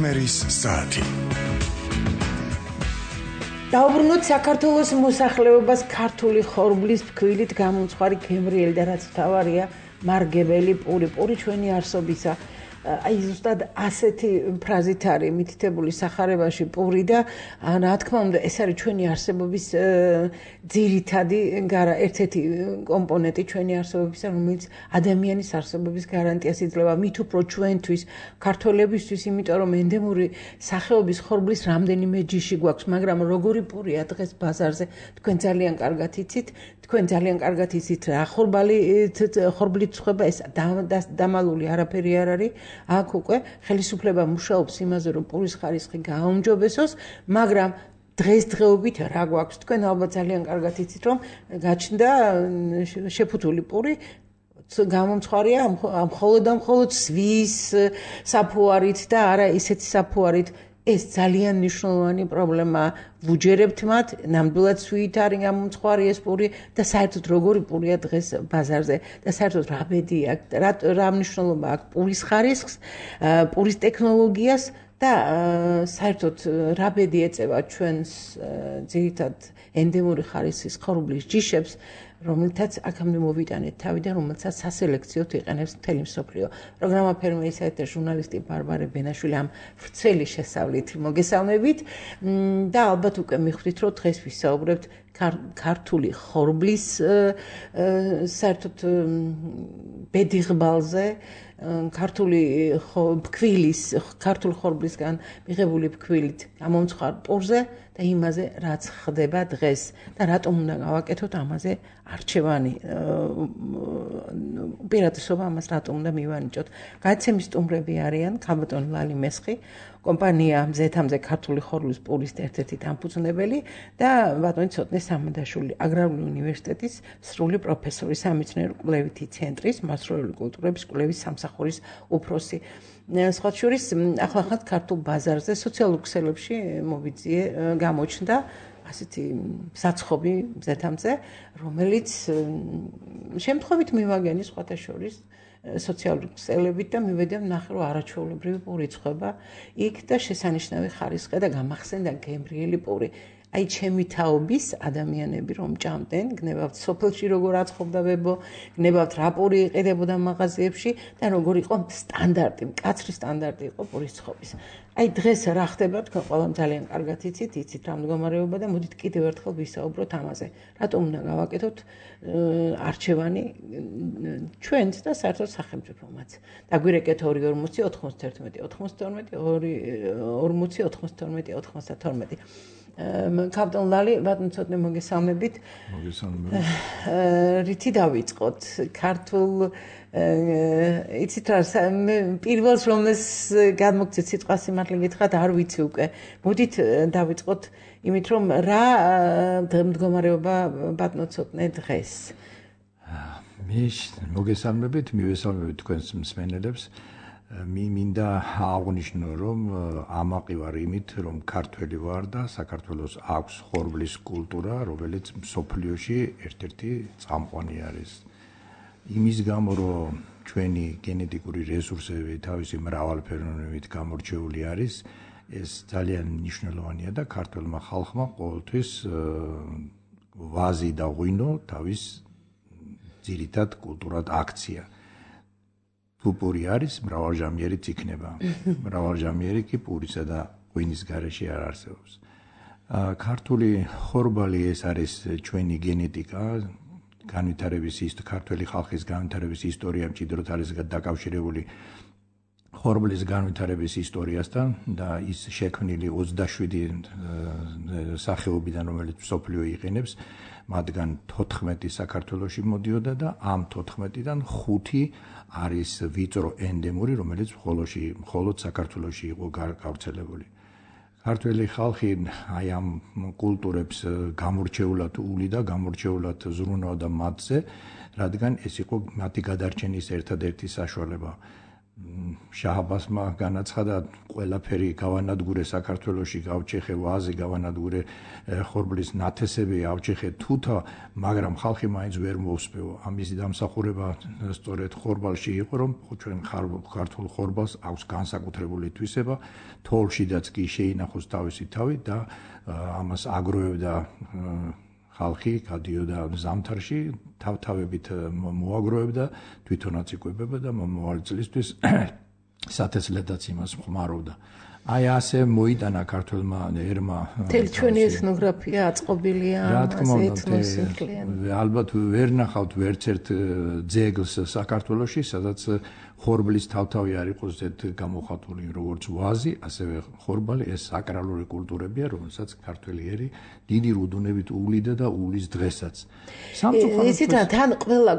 ფერმერის საათი. დაუბრუნოთ საქართველოს მოსახლეობას ქართული ხორბლის ფქვილით გამომწვარი გემრიელი და რაც მთავარია მარგებელი პური ჩვენი არსობისა. აი ზუსტად ასეთი ფრაზით არის მითითებული სახარებაში პური და რა თქმა უნდა ეს არის ჩვენი არსებობის ძირითადი ერთ-ერთი კომპონენტი ჩვენი არსებობისა, რომელიც ადამიანის არსებობის გარანტიას იძლევა. მით უფრო ჩვენთვის ქართველებისთვის, იმიტომ რომ ენდემური სახეობის ხორბლის რამდენიმე ჯიში გვაქვს, მაგრამ როგორი პურია დღეს ბაზარზე, თქვენ ძალიან კარგად იცით რა ხორბლით ცხება ეს დამალული არაფერი არ არის. აქ უკვე ხელისუფლება მუშაობს იმაზე, რომ პურის ხარისხი გააუმჯობესოს, მაგრამ დღესდღეობით რა გვაქვს? თქვენ ალბათ ძალიან კარგად იცით, რომ გაჩნდა შეფუთული პური, გამომწვარია მხოლოდ სვის საფუარით და არა ისეთი საფუარით. ეს ძალიან მნიშვნელოვანი პრობლემაა. ვუჯერებთ მათ, ნამდვილად სვით არის გამომწვარი ეს პური და საერთოდ როგორი პურია დღეს ბაზარზე და საერთოდ რა ბედი აქვს, რა მნიშვნელობა აქვს პურის ხარისხს, პურის ტექნოლოგიას და საერთოდ რა ბედი ეწევა ჩვენს ძირითად ენდემური ხარისხის ხორბლის ჯიშებს, რომელთაც აქამდე მოვიტანეთ თავი და რომელსაც სასელექციოდ იყენებს მთელი მსოფლიო. პროგრამა ფერმერის საათი და ჟურნალისტი ბარბარე ბენაშვილი ამ ვრცელი შესავლით მოგესალმებით და ალბათ უკვე მიხვდით, რომ დღეს ვისაუბრებთ ქართული ხორბლის საერთოდ ბედიღბალზე, ქართული ხორბლისგან მიღებული ფქვილით გამომწვარ პურზე და იმაზე, რაც ხდება დღეს და რატომ უნდა გავაკეთოთ ამაზე არჩევანი. უპირატესობა ამას რატომ უნდა მივანიჭოთ. გადაცემის სტუმრები არიან ქალბატონი ლალი მესხი, კომპანია მზეთამზე ქართული ხორბლის პურის ერთ-ერთი დამფუძნებელი და ბატონი ცოტნე სამადაშვილი, აგრარული უნივერსიტეტის სრული პროფესორი, სამეცნიერო კვლევითი ცენტრის მასწავლებელი კულტურების კვლევის სამსახურის უფროსი. სხვა შორის ახლახან ქართულ ბაზარზე სოციალურ ქსელებში მოვიძიე გამოჩნდა ასეთი საცხობი მზეთამზე, რომელიც შემთხვევით მივაგენი სხვათა შორის სოციალურ ქსელებით და მივედე ვნახე, რომ არაჩვეულებრივი პური ცხება იქ და შესანიშნავი ხარისხი და გამახსენდა გემრიელი პური. აი ჩემი თაობის ადამიანები რომ ჭამდნენ, გნებავთ სოფელში როგორ აცხობდა ვებო, გნებავთ რა პური იყიდებოდა მაღაზიებში და როგორ იყო სტანდარტი, მკაცრი სტანდარტი იყო პურის ცხობის. აი დღეს რა ხდება, თქვენ ყველამ ძალიან კარგად იცით რა მდგომარეობა და მოდით კიდევ ერთხელ ვისაუბროთ ამაზე. რატომ უნდა გავაკეთოთ არჩევანი ჩვენც და საერთოდ სახელმწიფომაც. დაგვირეკეთ 240-92-92. ქალბატონ ლალი, ბატონო ცოტნე მოგესალმებით. რითი დავიწყოთ? ქართულ იცით რა, პირველს რომელს გადმოგცეთ სიტყვა სიმართლე გითხრათ, არ ვიცი უკვე. მოდით დავიწყოთ იმით, რომ რა მდგომარეობა ბატონო ცოტნე დღეს. მოგესალმებით, მივესალმებით თქვენს მსმენელებს. მინდა აღნიშნო, რომ ამაყი ვარ იმით, რომ ქართველი ვარ და საქართველოს აქვს ხორბლის კულტურა, რომელიც მსოფლიოში ერთ-ერთი წამყვანი არის. იმის გამო, რომ ჩვენი გენეტიკური რესურსები თავისი მრავალფეროვნებით გამორჩეული არის, ეს ძალიან მნიშვნელოვანია და ქართველმა ხალხმა ყოველთვის ვაზი და ღვინო თავის ძირითად კულტურად აქცია. თუ პური არის, მრავალჟამიერიც იქნება. მრავალჟამიერი კი პურისა და ღვინის გარეშე არ არსებობს. ქართული ხორბალი ეს არის ჩვენი გენეტიკა, ქართველი ხალხის განვითარების ისტორია მჭიდროდ არის დაკავშირებული ხორბლის განვითარების ისტორიასთან და ის შექმნილი 27 სახეობიდან, რომელიც მსოფლიო იყენებს, მათგან 14 საქართველოში მოდიოდა და ამ 14-დან 5 არის ვიწრო ენდემური, რომელიც მხოლოდ საქართველოში იყო გავრცელებული. ქართველი ხალხი აი ამ კულტურებს გამორჩეულად უვლიდა, გამორჩეულად ზრუნავდა მათზე, რადგან ეს იყო მათი გადარჩენის ერთადერთი საშუალება. შაჰაბასმა განაცხადა ყველაფერი გავანადგურე საქართველოში, გავჩეხე ვაზი, გავანადგურე ხორბლის ნათესები, ავჩეხე თუთა, მაგრამ ხალხი მაინც ვერ მოусპეო. ამისი დამსახურება სწორედ ხორბალში იყო, რომ ჩვენ ქართულ ხორბალს აქვს განსაკუთრებული თვისება, თოლშიდაც კი შეინახოს თავისი თავი და ამას აგროვებდა ხალხი, გადიოდა ზამთარში, თავთავებით მოაგროვებდა, თვითონაც იკვებება და მომავალი წლისთვის სათესლედაც იმას ხმარობდა. აი ასე მოიტანა ქართველმა ერმა მთელი ჩვენი ეთნოგრაფია აწყობილია ამაზე ეთნოსინკლიან. ალბათ ვერ ნახავთ ვერც ერთ ძეგლს საქართველოში, სადაც ხორბლის თავთავი არ იყოს გამოხატული როგორც ვაზი, ასევე ხორბალი, ეს საკრალური კულტურებია, რომელსაც ქართველი ერი დიდი რუდუნებით უვლიდა და უვლის დღესაც. ისიც თან ყველა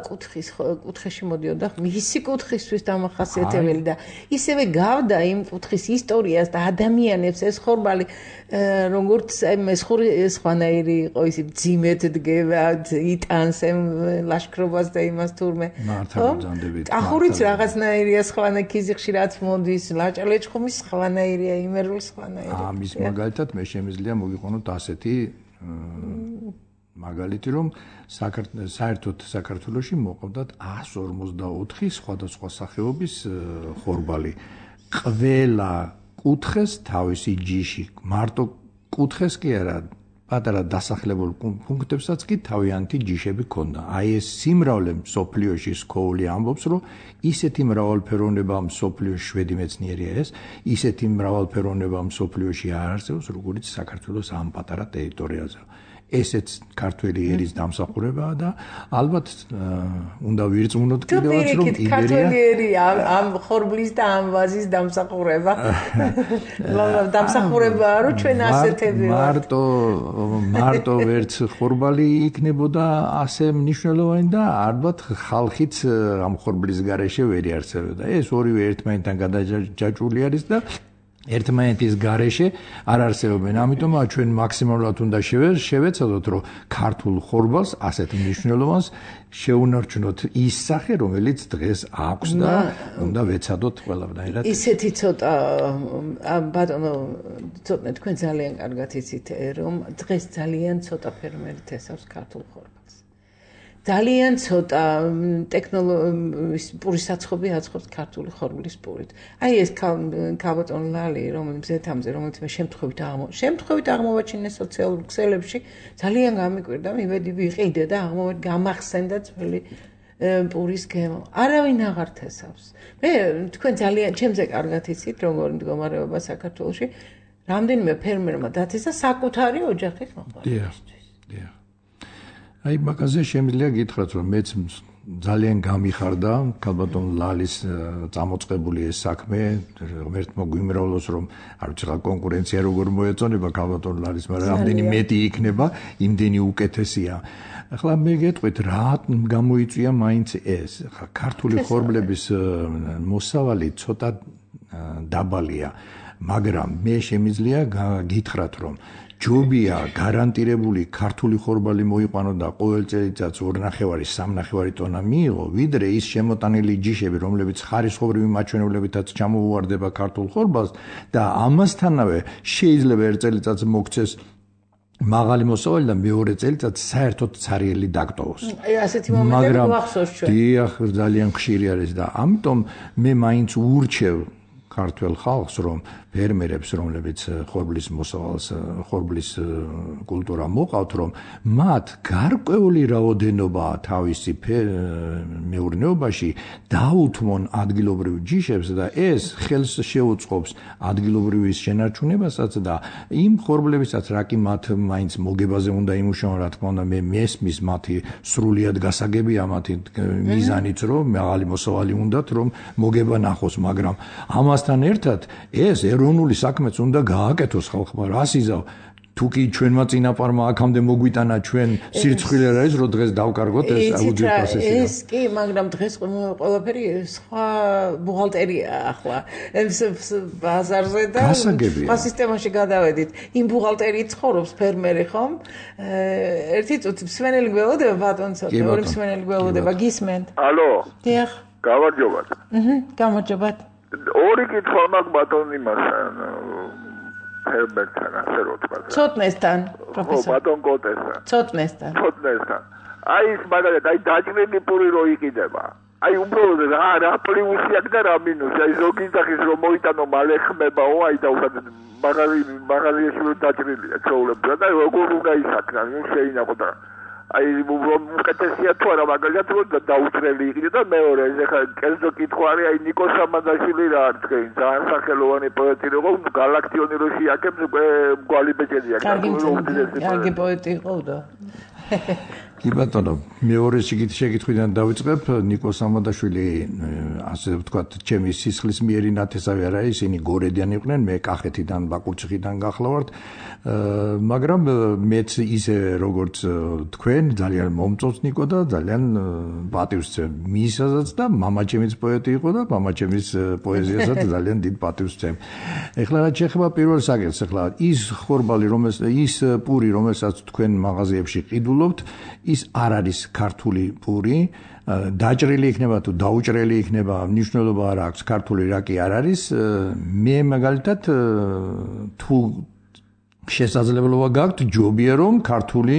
კუთხეში მოდიოდა მისი კუთხისთვის დამახასიათებელი და ისევე გავდა იმ კუთხის ისტორიას და ადამიანებს ეს ხორბალი როგორც მესხური სხვანაირი იყო ისი ძიმეთ დგება, იტანს ლაშქრობას და იმას თურმე. ახურიც რაღაცნაირია სხვანაირი ხშირად მოდის, ლაჭალეჭხუმის სხვანაირია, იმერული სხვანაირია. ამის მაგალითად მე შემიძლია მოგიყვანოთ ასეთი მაგალითი, რომ საერთოდ საქართველოში მოყავდათ 154 სხვადასხვა სახეობის ხორბალი. ყველა კუთხეს თავისი ჯიში, მარტო კუთხეს კი არა, პატარა დასახლებულ პუნქტებსაც კი თავიანთი ჯიშები ჰქონდა. აი ეს სიმრავლე მსოფლიოში სკოული ამბობს, რომ ისეთი მრავალფეროვნება მსოფლიოში შვედი მეცნიერია ეს, ისეთი მრავალფეროვნება მსოფლიოში არ არსებობს, როგორც საქართველოს ამ პატარა ტერიტორიაზე. ესეც ქართველი ერის დამსახურებაა და ალბათ უნდა ვირწმუნოთ კიდევაც რომ ქართველი ერი ამ ხორბლის და ამ ვაზის დამსახურება დამსახურებაა რომ ჩვენ ასეთები ვართ მარტო ვერც ხორბალი იქნებოდა ასე მნიშვნელოვანი და ალბათ ხალხიც ამ ხორბლის გარეშე ვერ იარსებოდა ეს ორივე ერთმანეთთან გადაჯაჭვული არის და ერთმანეთის გარეშე არ არსებობენ. ამიტომ ჩვენ მაქსიმალურად უნდა შევეცადოთ, რომ ქართულ ხორბალს ასეთ მნიშვნელოვანს შეუნარჩუნოთ ის სახე, რომელიც დღეს აქვს და უნდა ვეცადოთ ყველაფერად. ისეთი ცოტა ბატონო, ცოტა თქვენ ძალიან კარგად იცით, რომ დღეს ძალიან ცოტა ფერმერი თესავს ქართულ ხორბალს. ძალიან ცოტა ტექნოლოგიის პურის საცხობი აცხობს ქართული ხორბლის პურით. აი ეს ქალბატონი ლალი, რომელიც ზეთამზე, რომელიც მე შემთხვევით აღმოვაჩინე სოციალურ ქსელებში, ძალიან გამიკვირდა, მივედი ვიყიდე და გამახსენდა ძველი პურის გემო. არავინ აღარ თესავს. მე თქვენ ძალიან ჩემზე კარგად იცით, როგორი მდგომარეობა საქართველოში, რამდენიმე ფერმერმა დათესა საკუთარი ოჯახის მოყვარებისთვის. აი მაგაზე შემიძლია გითხრათ, რომ მეც ძალიან გამიხარდა ქალბატონ ლალის წამოწყებული ეს საქმე, ღმერთ მოგვიმრავლოს, რომ არ ვიცი რა კონკურენცია როგორ მოეწონება ქალბატონ ლალის, მაგრამ რამდენი მეტი იქნება, იმდენი უკეთესია. ახლა მე გეტყვით, რა გამოიწვია მაინც ეს. ქართული ხორბლების მოსავალი ცოტა დაბალია, მაგრამ მე შემიძლია გითხრათ, რომ ჯობია გარანტირებული ქართული ხორბალი მოიყვანო და ყოველ წელიწადს 2.5-3 ტონა მიიღო, ვიდრე ის შემოტანილი ჯიშები, რომლებიც ხარისხოვრივი მაჩვენებლებითაც ჩამოუვარდება ქართულ ხორბალს და ამასთანავე შეიძლება ერთ წელიწადს მოქცეს მაღალი მოსავალი და მეორე წელიწადს საერთოდ ცარიელი დაგტოვოს. აი ასეთი მომენტები გვახსოვს ჩვენ. დიახ, ძალიან ხშირი არის და ამიტომ მე მაინც ურჩევ ქართულ ხალხს, რომ ფერმერებს, რომლებიც ხორბლის მოსავალს, ხორბლის კულტურა მოყავთ, რომ მათ გარკვეული რაოდენობა თავისი მეურნეობაში დაუთმონ ადგილობრივ ჯიშებს და ეს ხელს შეუწყობს ადგილობრივის შენარჩუნებასაც და იმ ხორბლებისაც რა კი მათ მაინც მოგებაზე უნდა იმუშაონ, რა თქმა უნდა, მე მესმის მათი სრულიად გასაგებია მათი მიზანიც, რომ მაღალი მოსავალი უნდათ, რომ მოგება ნახოს, მაგრამ ამასთან ერთად ეს ეროვნული საქმეც უნდა გააკეთოს ხალხმა, რას იზავ თუკი ჩვენმა წინაპარმა აქამდე მოგვიტანა ჩვენ სირცხვილი არის რომ დღეს დავკარგოთ ეს აუდიოფასესი ეს კი მაგრამ დღეს ყველაფერი სხვა ბუღალტერია ახლა ბაზარზე და სხვა სისტემაში გადავედით იმ ბუღალტერით ცხოვრობს ფერმერი ხომ ერთი წუთი მსმენელი გველოდება ბატონო ორი მსმენელი გველოდება გისმენთ ალო დიახ გამარჯობათ. გამარჯობათ. ორი კითხვა მაქვს ბატონ იმასთან. ფერმერთან, ასე რომ თქვა. ცოტნესთან, პროფესორ. ხო, ბატონ კოტესთან. ცოტნესთან. აი ეს მაგალითად, აი დაჭრილი პური რო იყიდება. აი უბრალოდ რა პლუსი აქვს და რა მინუსი. აი ზოგი სახის რომ მოიტანო მალე ხმებაო, აი და უბრალოდ მაგალითად რო დაჭრილია ჩაულებდა და როგორ უნდა ისაქნა, შეინახო და აი უკეთესია თუ არა მაგალითად რომ დაუჭრელი იყიდე და მეორე ეხლა კერძო კითხვა არის აი ნიკო სამადაშვილი რა არის თქვენ ძალიან სახელოვანი პოეტი იყო გალაქტიონი რო შეაკებს უკვე მგვალი ბეჭედი აქვს კარგი პოეტი იყო და კი ბატონო მეორე შეკითხვიდან დავიწყებ ნიკო სამადაშვილი ასე ვთქვათ ჩემი სისხლის მიერი ნათესავი არა ისინი გორედან იყვნენ მე კახეთიდან ბაკურციხიდან გახლავართ მაგრამ მეც ისე როგორც თქვენ ძალიან მომწონს ნიკო და ძალიან პატივს ვცემ მისასაც და მამაჩემიც პოეტი იყო და მამაჩემის პოეზიასაც ძალიან დიდ პატივს ვცემ. ეხლა რაც შეეხება პირველ საკითხს, ეხლა ის ხორბალი ის პური რომელსაც თქვენ მაღაზიებში ყიდულობთ, ის არ არის ქართული პური. დაჭრილი იქნება თუ დაუჭრელი იქნება, მნიშვნელობა არ აქვს ქართული რა კი არ არის. მე მაგალითად თუ შესაძლებლობა გაქვთ ჯობია რომ ქართული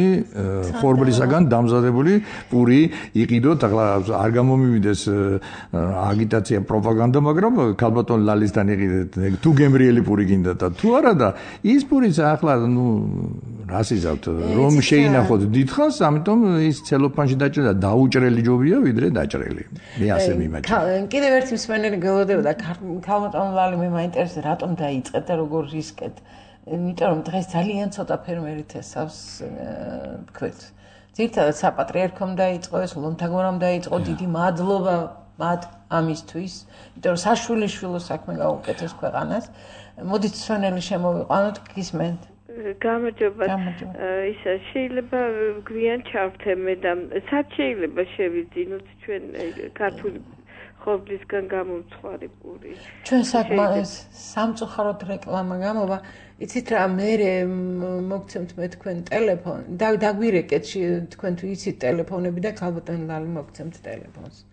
ხორბლისაგან დამზადებული პური იყიდოთ ახლა არ გამომივიდეს აგიტაცია პროპაგანდა მაგრამ ქალბატონ ლალისთან იყიდეთ თუ გემრიელი პური გინდა და თუ არა და ის პურიც ახლა რას იზავთ რომ შეინახოთ დიდხანს ამიტომ ის ცელოფანში დაჭრილი და დაუჭრელი ჯობია ვიდრე დაჭრელი მე ასე მიმაჩნია კიდევ ერთი მსმენელი გელოდებოდა ქალბატონ ლალი მე მაინტერესებს რატომ დაიწყეთ და როგორ რისკეთ იმიტომ რომ დღეს ძალიან ცოტა ფერმერი თესავს თქვით. ძირითადად საპატრიარქომ დაიწყო ეს ლომთაგორამ დაიწყო დიდი მადლობა მათ ამისთვის. იმიტომ რომ საშვილიშვილო საქმე გაუკეთეს ქვეყანას. მოდით სვენელი შემოვიყვანოთ გისმენთ. გამარჯობათ. ისა შეიძლება გვიან ჩავთე მე და სად შეიძლება შევიძინოთ ჩვენ ქართული ხორბლისგან გამომცხვარი პური. ჩვენ საკმაოდ სამწუხაროდ რეკლამა გამოვა. იცით რა მე მოგცემთ მე თქვენ ტელეფონი დაგვირეკეთ თქვენ თუ იცით ტელეფონები და ქალბატონ ლალი მოგცემთ ტელეფონს.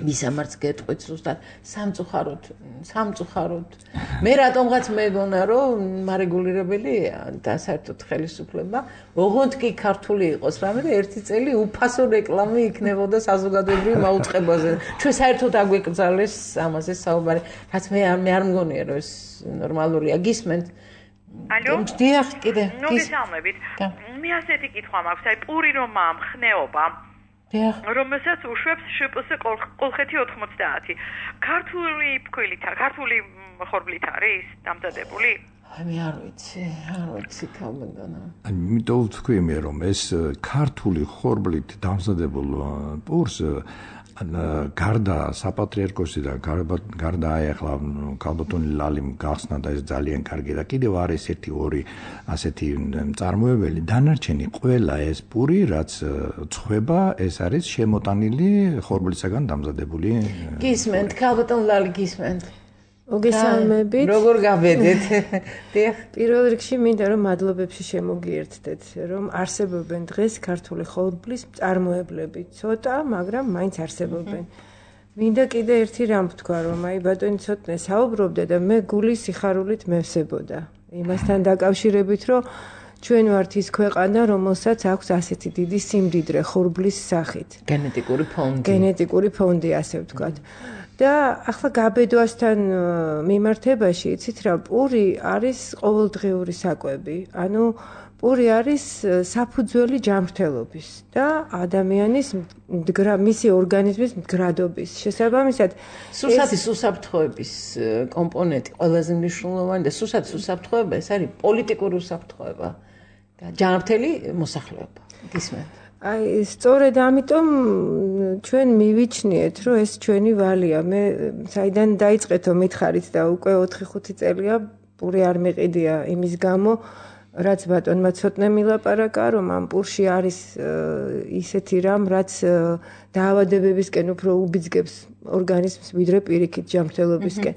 მისამართს გეტყვით ზუსტად სამწუხაროდ მე რატომღაც მეგონა რომ მარეგულირებელია და საერთოდ ხელისუფლება ოღონდ კი ქართული იყოს რამე და ერთი წელი უფასო რეკლამა იქნებოდა საზოგადოებრივ მაუწყებაზე ჩვენ საერთოდ აგვეკრძალეს ამაზე საუბარი რაც მე არ მგონია რომ ეს ნორმალურია გისმენთ ალო დიახ კიდე მოგესალმებით მე ასეთი კითხვა მაქვს აი პური რომ ხნეობა რომელსაც უშვებს შპს კოლხეთი 90 ქართული ფქვილით ქართული ხორბლით არის დამზადებული მე არ ვიცი ქალბატონო იმიტომ ვთქვი მე რომ ეს ქართული ხორბლით დამზადებულ პურს გარდა საპატრიარქოსი და გარდა აი ახლა ქალბატონი ლალიმ გახსნა და ეს ძალიან კარგი და კიდევ არის ერთი ორი ასეთი მწარმოებელი დანარჩენი ყველა ეს პური რაც წვება ეს არის შემოტანილი ხორბლისაგან დამზადებული გისმენთ ქალბატონ ლალი გისმენთ მოგესალმებით. როგორ გავედეთ? დიახ. პირველ რიგში მინდა რომ მადლობებში შემოგიერთდეთ, რომ არსებობენ დღეს ქართული ხორბლის მწარმოებლები. ცოტა, მაგრამ მაინც არსებობენ. მინდა კიდე ერთი რამ ვთქვა, რომ აი ბატონი ცოტნე საუბრობდა და მე გული სიხარულით მევსებოდა. იმასთან დაკავშირებით, რომ ჩვენ ვართ ის ქვეყანა, რომელსაც აქვს ასეთი დიდი სიმდიდრე ხორბლის სახით. გენეტიკური ფონდი, ასე ვთქვათ. და ახლა გაბედვასთან მიმართებაში იცით რა პური არის ყოველდღიური საკვები. ანუ პური არის საფუძველი ჯანმრთელობის და ადამიანის მისი ორგანიზმის მდგრადობის. შესაბამისად, სურსათის უსაფრთხოების კომპონენტი ყველაზე მნიშვნელოვანი და სურსათის უსაფრთხოება ეს არის პოლიტიკური უსაფრთხოება და ჯანმრთელი მოსახლეობა. გისმენთ? აი სწორედ ამიტომ ჩვენ მივიჩნიეთ რომ ეს ჩვენი ვალია მე საიდან დაიწყეთო მითხარით და უკვე 4-5 წელია პური არ მეყიდია იმის გამო რაც ბატონმა ცოტნე მილაპარაკა რომ ამ პურში არის ისეთი რამ რაც დაავადებებისკენ უფრო უბიძგებს ორგანიზმს ვიდრე პირიქით ჯანმრთელობისკენ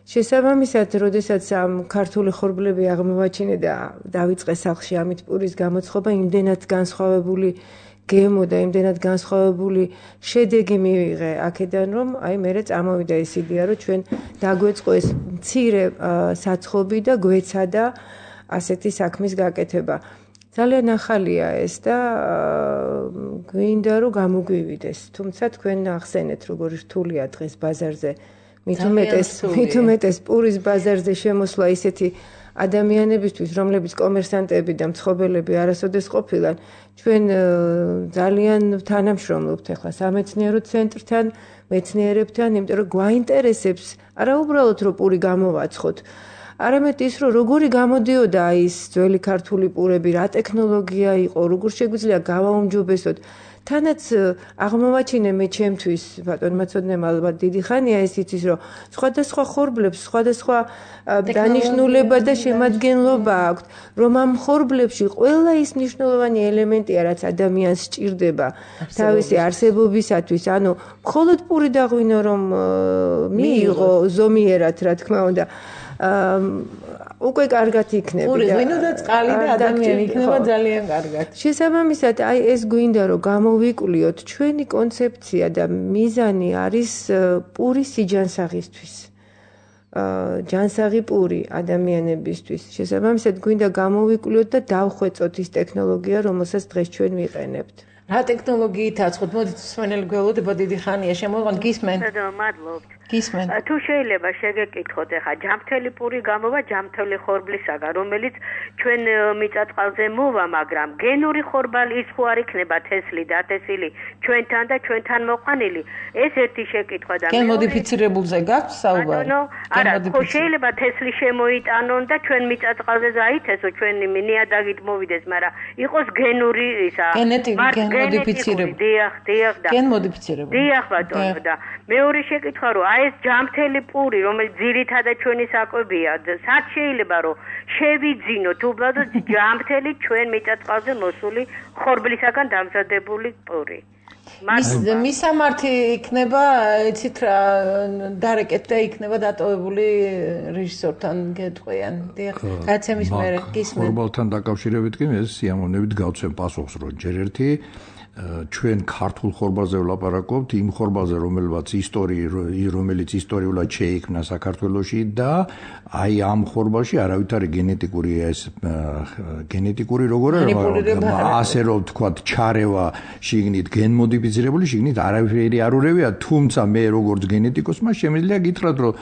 შესაბამისად როდესაც ამ ქართული ხორბლები აღმოვაჩინე და დავიწყე სახლში ამით პურის გამოცხობა იმდენად განსხვავებული გემო და იმდენად განსხვავებული შედეგი მივიღე აქედან, რომ აი მერე წამოვიდა ეს იდეა, რომ ჩვენ დაგვეწყო ეს მცირე საცხობი და გვეცადა ასეთი საქმის გაკეთება. ძალიან ახალია ეს და გვინდა რომ გამოგვივიდეს. თუმცა თქვენ ახსენეთ, როგორი რთულია დღეს ბაზარზე. მით უმეტეს პურის ბაზარზე შემოსვლა ისეთი ადამიანებისთვის, რომლებიც კომერსანტები და მცხოვრები არასოდეს ყოფილან, ჩვენ ძალიან თანამშრომლობთ ახლა სამეცნიერო ცენტრთან, მეცნიერებთან, იმიტომ რომ გვაინტერესებს არა უბრალოდ რომ პური გამოვაცხოთ, არამედ ის რომ როგორი გამოდიოდა ის ძველი ქართული პურები, რა ტექნოლოგია იყო, როგორ შეგვიძლია გავაუმჯობესოთ. თანაც აღმოვაჩინე მე ჩემთვის ბატონმა ცოდნემ ალბათ დიდი ხანია ეს იცის რომ სხვადასხვა ხორბლებს სხვადასხვა დანიშნულება და შემადგენლობა აქვთ რომ ამ ხორბლებში ყველა ის მნიშვნელოვანი ელემენტია რაც ადამიანს სჭირდება თავისი არსებობისათვის ანუ მხოლოდ პური დაღვინო რომ მიიღო ზომიერად რა თქმა უნდა უკვე კარგად იქნება. პური ღვინო და წყალი და ადამიანი იქნება ძალიან კარგად. შესაბამისად, აი ეს გვინდა რომ გამოვიკვლიოთ ჩვენი კონცეფცია და მიზანი არის პურის სიჯანსაღისთვის. ჯანსაღი პური ადამიანებისთვის. შესაბამისად, გვინდა გამოვიკვლიოთ და დავხვეწოთ ის ტექნოლოგია, რომელსაც დღეს ჩვენ ვიყენებთ. რა ტექნოლოგიით აწყობთ? მოდით მსმენელი გველოდება დიდი ხანია შემოღონ გისმენ. მადლობთ. გისმენ. თუ შეიძლება შეგეკითხოთ ახლა ჯამთელი პური გამოვა ჯამთელი ხორბლისაგან, რომელიც ჩვენ მიწაწყალზე მოვა, მაგრამ გენური ხორბალი ის ხო არ იქნება თესლი დათესილი ჩვენთან და ჩვენთან მოყვანილი? ეს ერთი შეკითხვა და გენ მოდიფიცირებულზე გაქვთ საუბარი? არა, ხო შეიძლება თესლი შემოიტანონ და ჩვენ მიწაწყალზე გაითესო, ჩვენი ნიადაგით მოვიდეს, მაგრამ იყოს გენური ისა. მოდიფიცირებული. დიახ და. გენ მოდიფიცირებული. დიახ ბატონო და მეორე შეკითხვა რომ აი ეს ჯამთელი პური რომელიც ძირითადად ჩვენი საკვებია სად შეიძლება რომ შევიძინოთ უბრალოდ ჯამთელი ჩვენ მიწაწყალზე მოსული ხორბლისაგან დამზადებული პური მისამართი იქნება იცით რა დარეკეთ და იქნება დატოვებული რეჟისორთან გეტყვიან დიახ გაცემის მერე გისმენ ხორბალთან დაკავშირებით კი ეს სიამოვნებით გავცემ პასუხს რომ ჯერ ერთი ჩვენ ქართულ ხორბალზე ვლაპარაკობთ იმ ხორბალზე რომელიც ისტორიულად შეიქმნა საქართველოში და აი ამ ხორბალში არავითარი გენეტიკური როგორ ასე რომ ვთქვათ ჩარევა შიგნით გენმოდიფიცირებული შიგნით არავითარი არ ურევია თუმცა მე როგორც გენეტიკოსმა შემიძლია გითხრათ რომ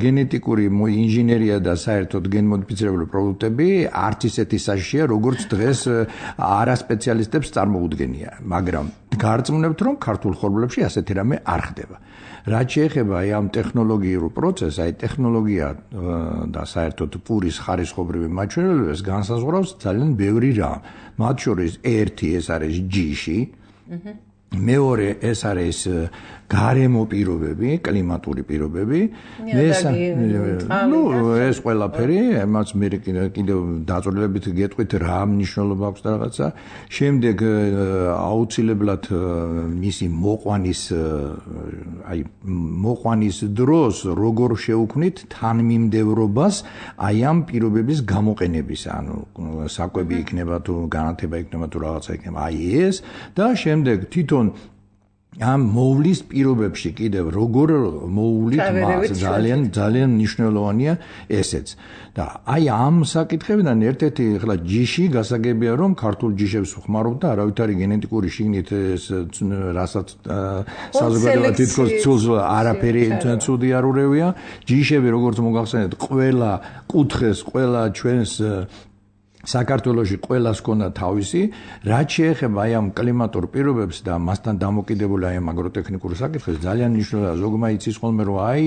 გენეტიკური ინჟინერია და საერთოდ გენმოდიფიცირებული პროდუქტები არც ისეთი საშიშია როგორც დღეს არასპეციალისტებს წარმოუდგენია მაგრამ გარწმუნებთ რომ ქართულ ხორბლებში ასეთი რამე არ ხდება. რაც შეეხება აი ამ ტექნოლოგიურ პროცესს, აი ტექნოლოგია და საერთოდ პურის ხარისხობრივი მაჩვენებლებს განსაზღვრავს ძალიან ბევრი რამ. მათ შორის ერთი ეს არის ჯიში, მეორე ეს არის გარემო პირობები, კლიმატური პირობები, ეს ყველაფერი, εμάς მე კიდევ დაწვრილებით გეტყვით რა მნიშვნელობა აქვს და რაღაცა. შემდეგ აუცილებლად მისი მოყვანის დროს როგორ შევქმნით თანმიმდევრობას აი ამ პირობების გამოყენების, ანუ საკვები იქნება თუ განათება იქნება თუ რაღაცა იქნება. აი ეს და შემდეგ თვითონ ამ მოვლის პირობებში კიდევ როგორ მოვლით მას ძალიან მნიშვნელოვანია ესეც და აი ამ საკითხებიდან ერთ-ერთი ახლა ჯიში გასაგებია რომ ქართულ ჯიშებს ვხმარობ და არავითარი გენეტიკური შიგნით რასაც საზოგადოება თითქოს ცულს არაფერი ცუდი არ ურევია ჯიშები როგორც მოგახსენეთ ყველა კუთხეს ყველა ჩვენს საქართველოში ყველას ქონდა თავისი, რაც შეეხება აი ამ კლიმატურ პირობებს და მასთან დამოკიდებული აი ამ აგროტექნიკურ საკითხებს ძალიან მნიშვნელოვანია. ზოგმა იცის ხოლმე რომ აი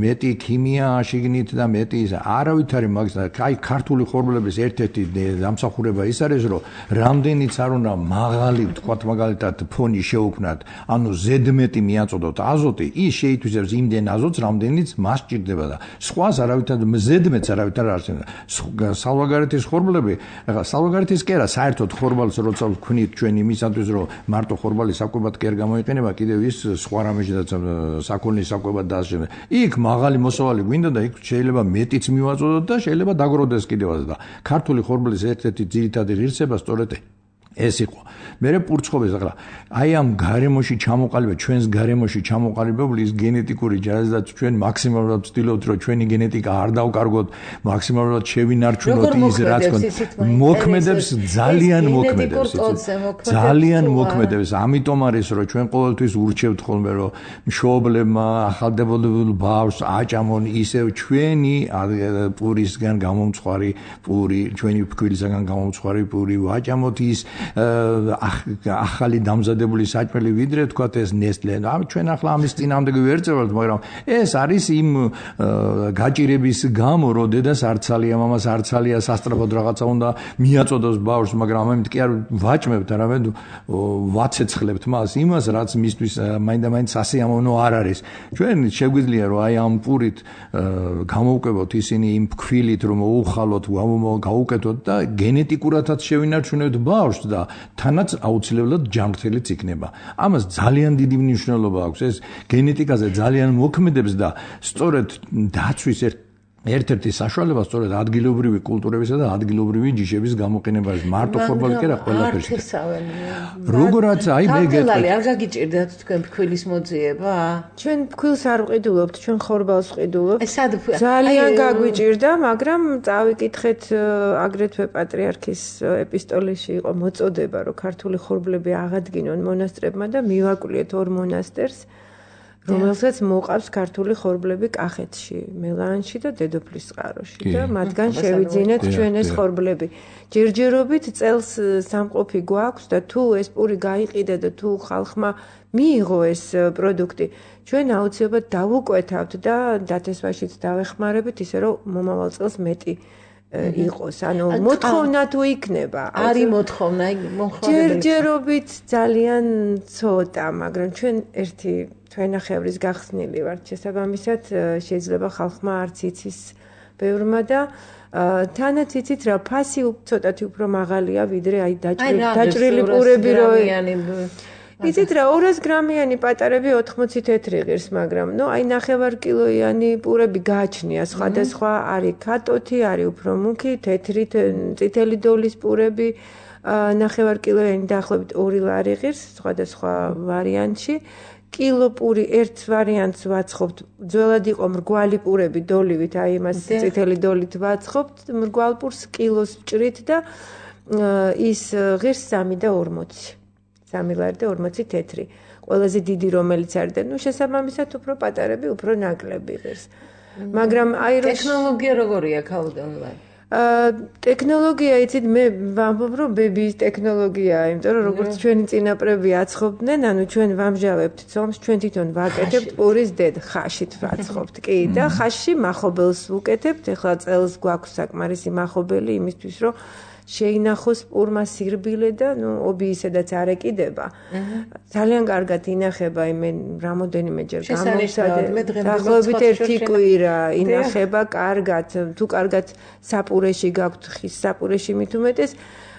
მეტი ქიმია შიგნით და მეტი არავითარი მაგის აი ქართული ხორბლების ერთ-ერთი დამსახურება ის არის რომ რამდენიც არ უნდა მაღალი ვთქვათ მაგალითად ფონი შეუქმნათ, ანუ ზედმეტი მიაწოდოთ აზოტი, ის შეითვისებს იმდენ აზოტს, რამდენიც მას სჭირდება და სხვას არავითარ ზედმეტს არავითარ არ არსებობს. სალვაგარეთის ხორბლები, ახლა სალვაგარეთის კი არა, საერთოდ ხორბალს როცა ვქნით ჩვენ იმისათვის რომ მარტო ხორბალი საკვებად კი არ გამოიყენება, კიდევ ის სხვა რამეშიც საქონლის საკვებად დაასრულოს. იქ მაღალი მოსავალი გვინდა და იქ შეიძლება მეტიც მივაწოდოთ და შეიძლება დაგროვდეს კიდევაც და ქართული ხორბლის ერთ-ერთი ძირითადი ღირსება სწორედ ეს იყო. მერე პურცხოვეს ახლა აი ამ გარემოში ჩამოყალიბება, ჩვენს გარემოში ჩამოყალიბებული ის გენეტიკური ჯაზდაც ჩვენ მაქსიმალურად ვცდილობთ, რომ ჩვენი გენეტიკა არ დავკარგოთ, მაქსიმალურად შევინარჩუნოთ ის რაც მოქმედებს, ძალიან მოქმედებს. ძალიან მოქმედებს. ამიტომ არის რომ ჩვენ ყოველთვის ურჩევთ ხოლმე რომ მშობლებმა ახალდებოდებულ ბავშვს აჭამონ ისევ ჩვენი პურისგან გამომწვარი პური, ჩვენი ფქვილისგან გამომწვარი პური ვაჭამოთ ის ახალი დამზადებული საჭმელი ვიდრე თქვათ ეს ნესტლე. ჩვენ ახლა ამის წინამდე ვერწევთ, მაგრამ ეს არის იმ გაჭირების გამო, რომ დედას არცალია, მამას არცალია, სასწრაფოდ რაღაცა უნდა მიაწოდოს ბავშვს, მაგრამ ამით კი არ ვაჭმებთ, არამედ ვაცეცხლებთ მას იმას, რაც მისთვის მაინდა-მაინც სასიამოვნო არ არის. ჩვენ შეგვიძლია რომ აი ამ პურით გამოვკვებოთ ისინი იმ ფქვილით, რომ მოუხალოთ, გაუკეთოთ და გენეტიკურადაც შევინარჩუნებთ ბავშვს და თანაც აუცილებლად ჯანმრთელიც იქნება. ამას ძალიან დიდი მნიშვნელობა აქვს. ეს გენეტიკაზე ძალიან მოქმედებს და სწორედ დაცვის ერთ-ერთი საშუალება სწორედ ადგილობრივი კულტურებისა და ადგილობრივი ჯიშების გამოყენება არის. მარტო ხორბალი კი არა, ყველაფერში. როგორაც აი მე გეტყვი. არ გაგიჭირდათ თქვენ ფქვილის მოძიება? ჩვენ ფქვილს არ ვყიდულობთ, ჩვენ ხორბალს ვყიდულობთ. ძალიან გაგვიჭირდა, მაგრამ წავიკითხეთ აგრეთვე პატრიარქის ეპისტოლეში იყო მოწოდება, რომ ქართული ხორბლები აღადგინონ მონასტრებმა და მივაკვლიეთ ორ მონასტერს. რომელსაც მოყავს ქართული ხორბლები კახეთში, მელანში და დედოფლის წყაროში და მათგან შევიძინეთ ჩვენ ეს ხორბლები. ჯერჯერობით წელს სამყოფი გვაქვს და თუ ეს პური გაიყიდა და თუ ხალხმა მიიღო ეს პროდუქტი, ჩვენ აუცილებლად დავუკვეთავთ და დათესვაშიც დავეხმარებით, ისე რომ მომავალ წელს მეტი იყოს. ანუ მოთხოვნა თუ იქნება. არის მოთხოვნა, ჯერჯერობით ძალიან ცოტა, მაგრამ ჩვენ ერთი თვენახევრის გახსნილი ვართ. შესაბამისად, შეიძლება ხალხმა არც იცის ბევრმა და თანაც იცით რა, ფასი ცოტათი უფრო მაღალია, ვიდრე აი დაჭრილი პურები რო იცით რა 200 გრამიანი პატარები 80 თეთრი ღირს, მაგრამ ნუ აი 9 კილოიანი პურები გააჩნია, სხვადასხვა არის კატოთი, არის უფრო მუქი, თეთრი, წითელი დოლის პურები 9 კილოიანი დაახლოებით 2 ლარი ღირს, სხვადასხვა ვარიანტში. კილო პური ერთ ვარიანტს ვაცხობთ, ძველად იყო მრგვალი პურები დოლივით, აი იმას წითელი დოლით ვაცხობთ, მრგვალ პურს კილოს ვჭრით და ის ღირს 3.40. 3 ლარი და 40 თეთრი. ყველაზე დიდი რომელიც არის და ნუ შესაბამისად უფრო პატარები, უფრო ნაკლები ღირს. მაგრამ აი ტექნოლოგია როგორია ქაუდანლად? ტექნოლოგია იცით მე ვამბობ რომ ბებიის ტექნოლოგიაა, იმიტომ რომ როგორც ჩვენი წინაპრები აცხობდნენ, ანუ ჩვენ ვამჟავებთ ცომს, ჩვენ თვითონ ვაკეთებთ პურის დედ ხაშით ვაცხობთ. კი და ხაშში მახობელს ვუკეთებთ. ეხლა წელს გვაქვს საკმარისი მახობელი იმისთვის რომ შეინახოს პურმა სირბილე და ნუ ობიისედაც არ ეკიდება. ძალიან კარგად ინახება, მე რამოდენიმეჯერ გამოვცადე. დაახლოებით 1 კვირა ინახება კარგად. თუ კარგად საპურეში გაქვთ ხის საპურეში მით უმეტეს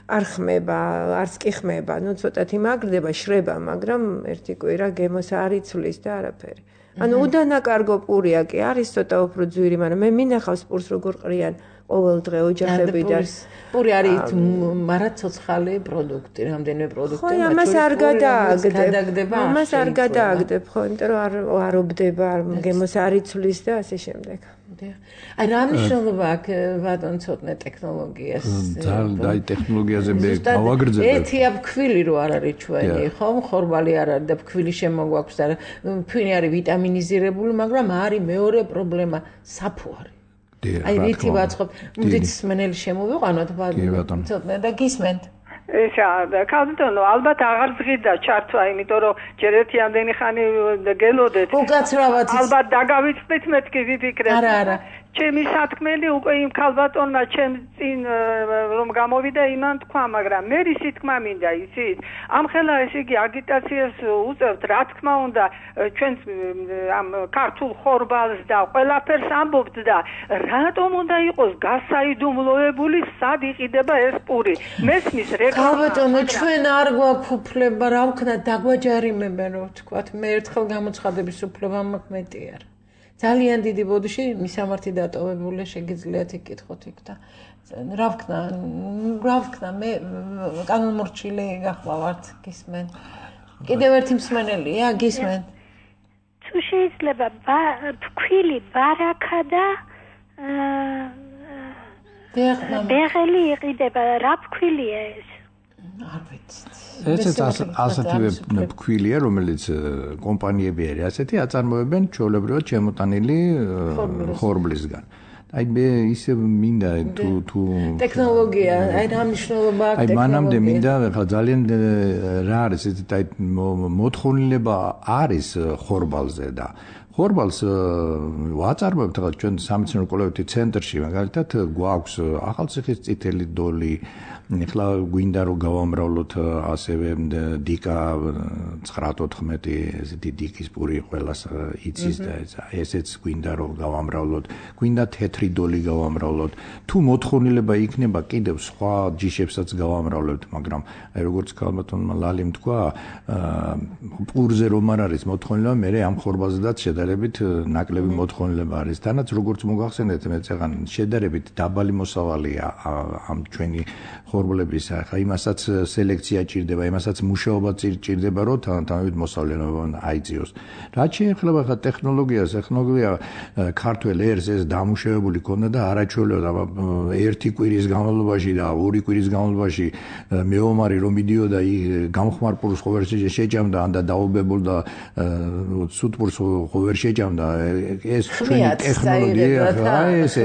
არ ხმება, არც კი ხმება. ნუ ცოტათი მაგრდება, შრება, მაგრამ 1 კვირა გემოს არ იცვლის და არაფერი. ანუ უდანაკარგო პურია კი არის ცოტა უფრო ძვირი, მაგრამ მე მინახავს პურს როგორ ყრიან ყოველ დღე ოჯახებიდან. პური არის მარაცოცხალი პროდუქტი, რამდენიმე პროდუქტი. ხო, ამას არ გადააგდებ. ამას არ გადააგდებ, ხო, იმიტომ რომ არ ობდება, გემოს არ იცვლის და ასე შემდეგ. აი რა მნიშვნელობა აქვს ბატონ ცოტნე ტექნოლოგიას? ძალიან აი ტექნოლოგიაზე მე გავაგრძელებ. ეთია ფქვილი რო არ არის ჩვენი, ხო, ხორბალი არ არის და ფქვილი შემოგვაქვს და ფქვილი არის ვიტამინიზირებული, მაგრამ არის მეორე პრობლემა, საფუარი. აი რითი ვაცხობ, მუდით სმენელი შემოვიყვანოთ ცოტნე და გისმენთ. ესა კალდონო ალბათ აღარ ზღიდა ჩართვა, იმიტომ რომ ჯერ ერთი ამდენი ხანი გელოდეთ. უკაცრავად ალბათ დაგავიწყდით მეთქი ვიფიქრეთ. არა. ჩემი სათქმელი უკვე იმ ქალბატონმა ჩემ წინ რომ გამოვიდა იმან თქვა, მაგრამ მე ისი თქმა მინდა იცით? ამხელა ესე იგი აგიტაციას უწევთ, რა თქმა უნდა, ჩვენ ამ ქართულ ხორბალს და ყველაფერს ამბობთ და რატომ უნდა იყოს გასაიდუმლოებული, სად იყიდება ეს პური? მესმის რეკლამა. ქალბატონო, ჩვენ არ გვაქვს უფლება, რა ვქნა, დაგვაჯარიმებენ, რომ ვთქვათ, მე ერთხელ გამოცხადების უფლება მაქვს, მეტი არ. ძალიან დიდი ბოდიში მისამართი დატოვებული შეგიძლიათ იკითხოთ იქ და რა ვქნა მე კანონმორჩილი გახლავართ გისმენ კიდევ ერთი მსმენელია გისმენ თუ შეიძლება ფქვილი ბარაქა და ბეღელი იყიდება რა ფქვილია ეს არ ვიცით ესეც ასეთივე ფქვილია რომელიც კომპანიები არის ასეთი აწარმოებენ ჩვეულებრივად შემოტანილი ხორბლისგან აი მე ისე მინდა თუ ტექნოლოგია აი რა მნიშვნელობა აქვს აი მანამდე მინდა ხა ძალიან რა არის ეს აი მოთხოვნილება არის ხორბალზე და ხორბალს ვაწარმოებთ ხა ჩვენ სამეცნიერო კვლევითი ცენტრში მაგალითად გვაქვს ახალციხის წითელი დოლი ეხლა გვინდა რომ გავამრავლოთ ასევე დიკა 914 ესეთი დიკის პური ყველას იცის და ესეც გვინდა რომ გავამრავლოთ გვინდა თეთრი დოლი გავამრავლოთ თუ მოთხოვნილება იქნება კიდევ სხვა ჯიშებსაც გავამრავლებთ მაგრამ აი როგორც ქალბატონმა ლალიმ თქვა პურზე რომ არ არის მოთხოვნილება მე ამ ხორბალზედაც შედარებით ნაკლები მოთხოვნილება არის თანაც როგორც მოგახსენეთ მე წეგან შედარებით დაბალი მოსავალია ამ ჩვენი ხორბლების ახლა იმასაც სელექცია ჭირდება, იმასაც მუშაობა ჭირდება, რომ თანამედროვე მოსავლეობა აიძიოს. რაც შეეხება ხა ტექნოლოგიას, ტექნოლოგია ქართველ ერს ეს დამუშავებული ქონდა და არაჩვეულებრივ ერთი კვირის განმავლობაში და ორი კვირის განმავლობაში მეომარი რომ მიდიოდა გამხმარ პურს ხო ვერ შეჭამდა ან და დაობებულდა სუტპურს ხო ვერ შეჭამდა ეს ჩვენი ტექნოლოგია ხა ეს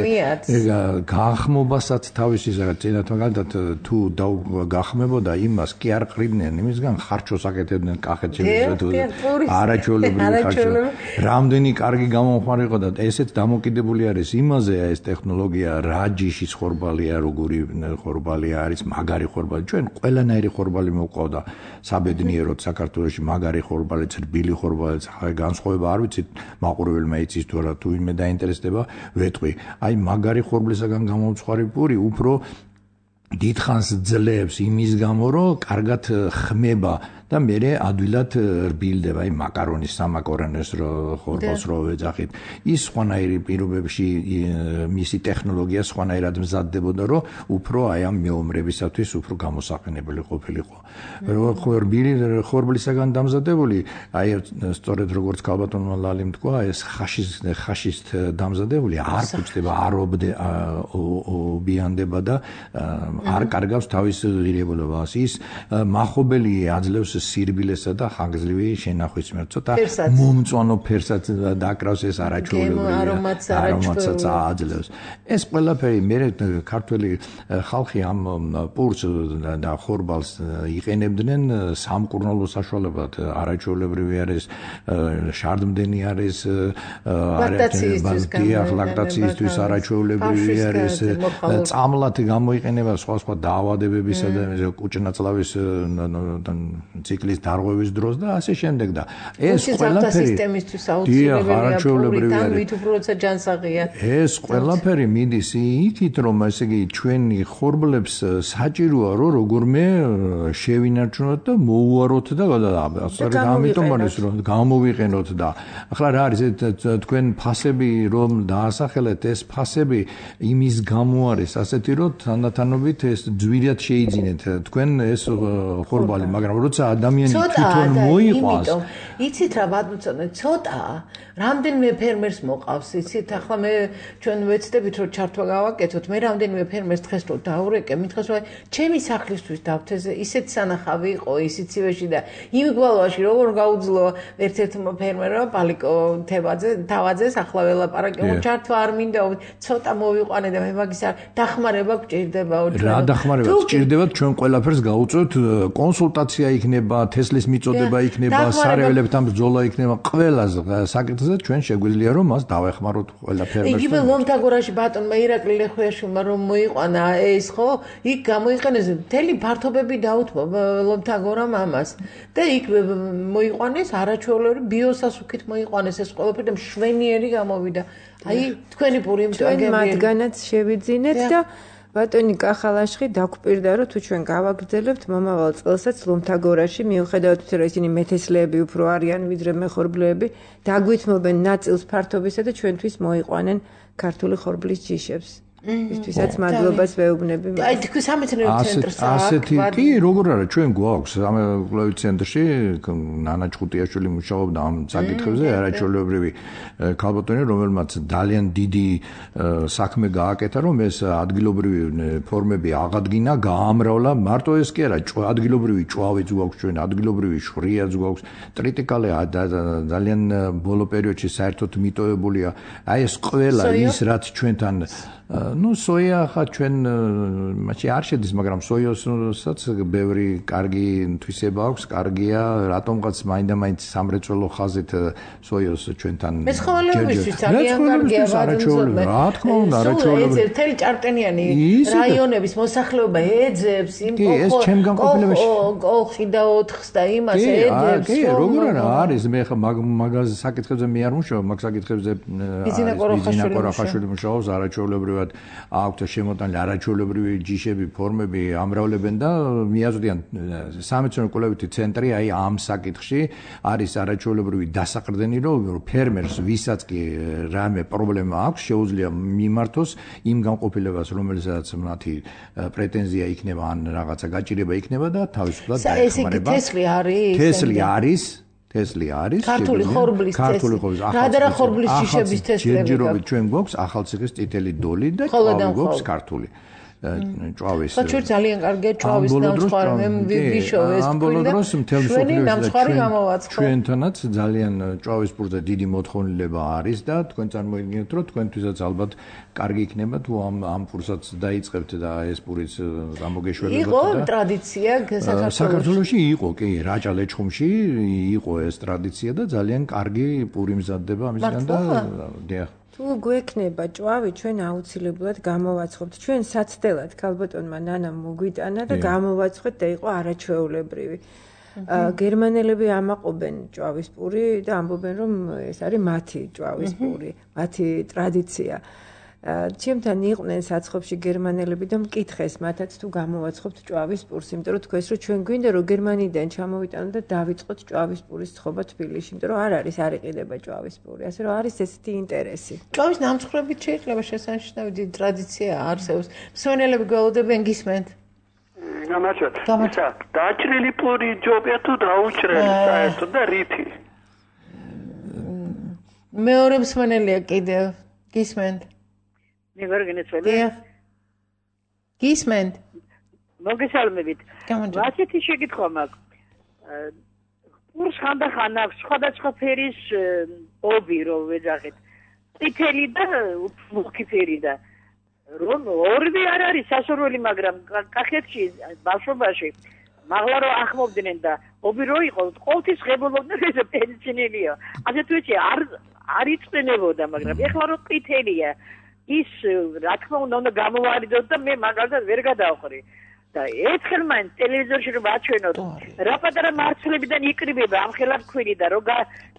განხმობასაც თავისი წინათ მაგალითად თუ გახმებოდა იმას კი არ ყრიბდნენ იმისგან ხარჩოს აკეთებდნენ კახეთში არაჩვეულებრივი ხარჩო რამდენი კარგი გამომხმარი იყო და ესეც დამოკიდებული არის იმაზე ეს ტექნოლოგია რა ჯიშის ხორბალია როგორი ხორბალია არის მაგარი ხორბალი ჩვენ ყველანაირი ხორბალი მოყავდა საბედნიეროდ საქართველოში მაგარი ხორბალი ცრბილი ხორბალი განსხვავება არ ვიცით მაყურებელმა იცის თუ არა თუ იმე დაინტერესდება ვეტყვი აი მაგარი ხორბლისაგან გამომცხარი პური უფრო დიდხანს ძლებს იმის გამო რომ კარგად ხმება და მე ადვილად რბილდება აი მაკარონის სამაკარონეს ხორბალს რო ვეძახით ის სხვანაირი პირობებში მისი ტექნოლოგია სხვანაირად მზადდებოდა რომ უფრო აი ამ მეომრებისათვის უფრო გამოსაყენებელი ყოფილიყო რბილი ხორბლისაგან დამზადებული აი სწორედ როგორც ქალბატონმა ლალიმ თქვა ეს ხაშის დამზადებული არ გუჩდება არ ობიანდება და არ კარგავს თავის ღირებულებას ის მახობელი აძლევს სირბილესა და ხანგრძლივი შენახვის მიერ ცოტა მომწვანო ფერსაც დაკრავს ეს არაჩვეულებრივი არომატსაც აძლევს ეს ყველაფერი მე ქართველი ხალხი ამ პურს და ხორბალს იყენებდნენ სამკურნალო საშუალებად არაჩვეულებრივი არის შარდმდენი არის ლაქტაციისთვის არაჩვეულებრივი არის წამლად გამოიყენება სხვა დაავადებებისა და კუჭნაწლავის ციკლის დარღვევის დროს და ასე შემდეგ და ეს ყველაფერი სისტემისთვის აუცილებელია მით უფრო როცა ჯანსაღია ეს ყველაფერი მიდის იქით რომ ესე იგი ჩვენი ხორბლებს საჭიროა რომ როგორმე შევინარჩუნოთ და მოუაროთ და ამიტომ არის რომ გამოვიყენოთ და ახლა რა არის თქვენ ფასები რომ დაასახელეთ ეს ფასები იმის გამო არის ასეთი რომ თანდათანობით ეს ძვირად შეიძინეთ თქვენ ეს ხორბალი მაგრამ როცა ადამიანი თვითონ მოიყვანს იცით რა ბატონო ცოტა რამდენიმე ფერმერს მოყავს იცით ახლა მე ჩვენ ვეცდებით რომ ჩართვა გავაკეთოთ მე რამდენიმე ფერმერს დღეს რომ დაურეკე მითხეს რომ ჩემი სახლისთვის დავთეზე ისეთ სანახავი იყო ისიცივეში და იმ გვალვაში როგორ გაუძლო ერთ-ერთმა ფერმერმა პალიკო თავაძეს ახლა ველაპარაკე ჩართვა არ მინდა ცოტა მოვიყვანე და მე მაგის არ დახმარება გჭირდებაო რა დახმარება გჭირდება ჩვენ ყველაფერს გაუწევთ კონსულტაცია იქნება თესლის მიწოდება იქნება სარეველებთან ბრძოლა იქნება ყველას საკითხზე ჩვენ შეგვიძლია რომ მას დავეხმაროთ ყველაფერს იგივე ლომთაგორაში ბატონმა ირაკლი ლეხვიაშვილმა რომ მოიყვანა ეს ხო იქ გამოიყენეს მთელი ფართობები დაუთმო ლომთაგორამ ამას და იქ მოიყვანეს არაჩვეულებრივი ბიოსასუქით მოიყვანეს ეს ყველაფერი და მშვენიერი გამოვიდა აი თქვენი პური ჩვენ მათგანაც შევიძინეთ და ბატონი კახალაშხი დაგვპირდა რომ თუ ჩვენ გავაგრძელებთ მომავალ წელსაც ლომთაგორაში მიუხედავად იმისა რომ ისინი მეთესლეები უფრო არიან ვიდრე მეხორბლეები დაგვითმობენ ნაწილს ფართობისა და ჩვენთვის მოიყვანენ ქართული ხორბლის ჯიშებს ისთვისაც მადლობას ვეუბნები აი თქვი სამეცნიერო ცენტრს ასეთი კი როგორ არა ჩვენ გვაქვს სამეცნიერო ცენტრში ნანა ჭყუტიაშვილი მუშაობდა ამ საკითხებზე არაჩვეულებრივი ქალბატონი რომელმაც ძალიან დიდი საქმე გააკეთა რომ ეს ადგილობრივი ფორმები აღადგინა გაამრავლა მარტო ეს კი არა ადგილობრივი ჭვავიც გვაქვს ჩვენ ადგილობრივი შვრიაც გვაქვს ტრიტიკალე ძალიან ბოლო პერიოდში საერთოდ მიტოვებულია აი ეს ყველა ის რაც ჩვენთან ну სოია ხა ჩვენ მაშინ არ შედის მაგრამ სოიოსაც ბევრი კარგი თვისება აქვს კარგია რატომღაც მაინდა-მაინც სამრეწველო ხაზით სოიოს ჩვენთან მეცხოველებისთვის ძალიან კარგია ვადმზობ რა თქმა უნდა არაჩვეულებრივი ეს თელი ჭარტენიანი რაიონების მოსახლეობა ეძებს იმ კოლხი და 4-ს და იმას ეძებს კი როგორ არა არის მე ხა მაგაზე საკითხებზე მე არ მუშაობ მაგ საკითხებზე ბიზინა ყორახაშვილი მუშაობს არაჩვეულებრივი აქვთ შემოტანილი არაჩვეულებრივი ჯიშები, ფორმები ამრავლებენ და მიაწვდიან სამეცნიერო კვლევითი ცენტრი აი ამ საკითხში არის არაჩვეულებრივი დასაყრდენი რომ ფერმერს ვისაც კი რამე პრობლემა აქვს შეუძლია მიმართოს იმ განყოფილებას რომელსაც მათი პრეტენზია იქნება ან რაღაცა გაჭირება იქნება და თავისუფლად დაეხმარება. თესლი არის ქართული ხორბლის რა ხორბლის ჯიშების თესლები ჯერჯერობით ჩვენ გვაქვს ახალციხის წითელი დოლი და გვაქვს ქართული ჭვავის საჩვენ ძალიან კარგია ჭვავის ნამსხვრევი მე ვიშოვეს ჩვენთანაც ძალიან ჭვავის პურზე დიდი მოთხოვნილება არის და თქვენ წარმოიდგინეთ რომ თქვენთვისაც ალბათ კარგი იქნება თუ ამ პურსაც დაიწყებთ და ეს პურიც გამოგეშველებათ იყო ტრადიცია საქართველოში იყო კი რაჭა-ლეჩხუმში იყო ეს ტრადიცია და ძალიან კარგი პური მზადდება ამისგან და დიახ თუ გვექნება ჭვავი ჩვენ აუცილებლად გამოვაცხობთ ჩვენ საცდელად ქალბატონმა ნანა მოგვიტანა და გამოვაცხოთ და იყო არაჩვეულებრივი გერმანელები ამაყობენ ჭვავის პური და ამბობენ რომ ეს არის მათი ჭვავის პური მათი ტრადიცია ჩემთან იყვნენ საცხობში გერმანელები და მკითხეს მათაც თუ გამოვაცხობთ ჭვავის პურს იმიტომ რომ თქვეს რომ ჩვენ გვინდა რომ გერმანიდან ჩამოვიტანოთ და დავიწყოთ ჭვავის პურის ცხობა თბილისში იმიტომ რომ არ იყიდება ჭვავის პური ასე რომ არის ესეთი ინტერესი ჭვავის ნამსხვრევით შეიძლება შესანიშნავი დიდი ტრადიცია არსებობს მსმენელები გველოდებენ გისმენთ გამარჯობა დაჭრილი პური ჯობია თუ დაუჭრელი საერთოდ და რითი მეორე მსმენელია კიდევ გისმენთ გისმენთ მოგესალმებით ასეთი შეკითხვა მაქვს პურს ხანდახან აქვს სხვადასხვა ფერის ობი რომ ვეძახეთ წითელი და მუქი ფერი და რომ ორივე არ არის სასურველი მაგრამ კახეთში ბავშვობაში მაღლა რომ ახმობდნენ და ობი რო იყო ყოველთვის ღებულობდნენ ეს პენსიონერია ასე თუ ისე არ იწვენებოდა მაგრამ ეხლა რომ ყითელია ის რა თქმა უნდა გამოვარიდოთ და მე მაგალითად ვერ გადავხრი და ერთხელ მაინც ტელევიზორში რომ აჩვენოთ რა პატარა მარცვლებიდან იკრიბება ამ ხელაფქვილი და რომ